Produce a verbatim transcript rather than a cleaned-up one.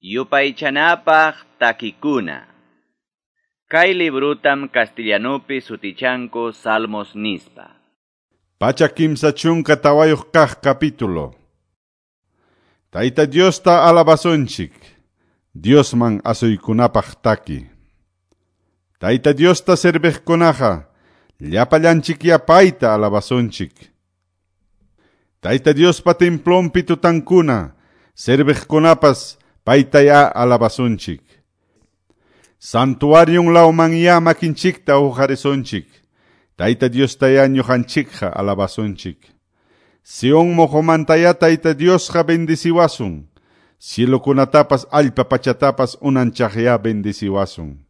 Yupaychanapaq takikuna. Kay librutam castellanupi sutichanku Salmos nispa. Pachak kimsa chunka tawayuq kaq capítulo. Tayta Diosta alabasunchik, Diosman asuykunapaq taki. Tayta Diosta serviqkunaqa, llapallanchikya payta alabasunchik. Tayta Diospa templonpi tutankuna, serviqkunapas paytaya alabasunchik. Santuarion lawmanya makinchikta uqarisunchik. Tayta Diostaya ñuqanchikqa alabasunchik. Sion moqomantaya Tayta Diosqa bendiciwasun. Cielokunatapas allpa pachatapas unanchaqya bendiciwasun.